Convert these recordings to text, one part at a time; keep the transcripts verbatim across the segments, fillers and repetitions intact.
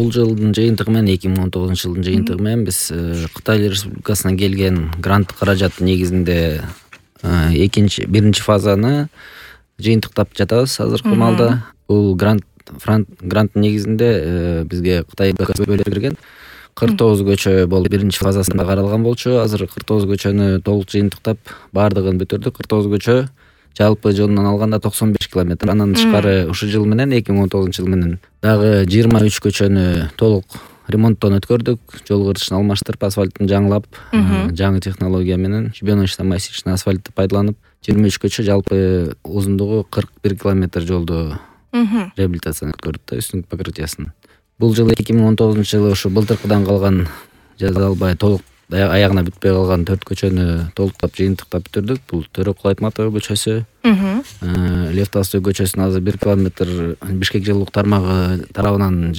Бул жылдын жыйынтыгы менен эки миң он тогузунчу жылдын жыйынтыгы менен биз Кытай Республикасынан келген грант каражаты негизинде экинчи биринчи фазаны жыйынтыктап жатабыз азыркы маалда. Бул грант гранттын негизинде бизге Кытай бөлүп берген кырк тогуз көчө болуп биринчи фазасында каралган болчу. Азыр кырк тогуз көчөнү толук жыйынтыктап баардыгын бүтүрдүк. кырк тогуз көчө жалпы жылынан алганда токсон беш километр. Андан тышкары ушул жыл менен эки миң он тогузунчу жыл менен дагы жыйырма үч көчөнү толук ремонттон өткөрдүк. Жол кыртышын алмаштырып, асфальтын жаңылап, жаңы технология менен щебеночно массивный асфальтты пайдаланып, жыйырма үч көчө жалпы узундугу кырк бир километр жолду реабилитацияны өткөрдүк да, үстүңкү покрытиясын. Бул жылы эки миң он тогузунчу жылы ушу былтыркыдан калган жаза албай толук аягына бүтпөй калган төрт көчөнү толуктап жыйынтыктап бүтүрдүк. Бул Төрөкул Айтматова көчөсү, Лев Толстой көчөсүнө азыр бир километр Бишкек жылуулук тармагы тарабынан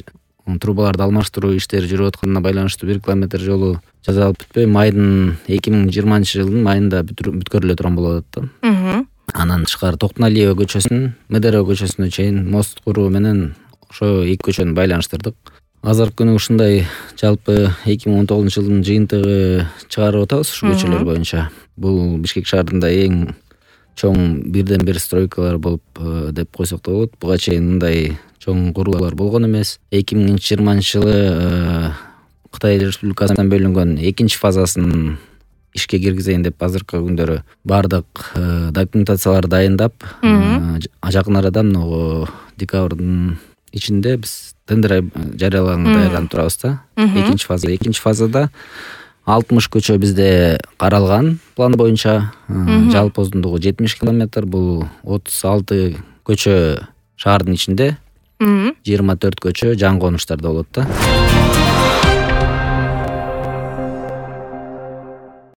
трубаларды алмаштыруу иштери жүрүп атканына байланыштуу бир километр жолу жаза алып бүтпөй майдын эки миң жыйырманчы жылдын майында бүткөрүлө турган болот да. Анан тышкары Токтоналиева көчөсүнүн Медерево көчөсүнө чейин мост куруу менен ошо эки көчөнү байланыштырдык. Азыркы күнү ушундай жалпы эки миң он тогузунчу жылдын жыйынтыгы чыгарып атабыз ушул көчөлөр боюнча. Бул Бишкек шаарында эң чоң бирден бир стройкалар болуп деп койсок да болот. Буга чейин мындай чоң курулуулар болгон эмес. эки миң жыйырманчы жылы Кытай Республикасынан бөлүнгөн экинчи фазасын ишке киргизейин деп азыркы күндөрү баардык документацияларды дайындап, жакын арада могу декабрдын ичинде биз тендер жарыялаганга даярданып турабыз да. Экинчи фаза. Экинчи фазада алтымыш көчө бизде каралган план боюнча. Жалпы узундугу жетимиш километр. Бул отуз алты көчө шаардын ичинде, жыйырма төрт көчө жаңы конуштарда болот да.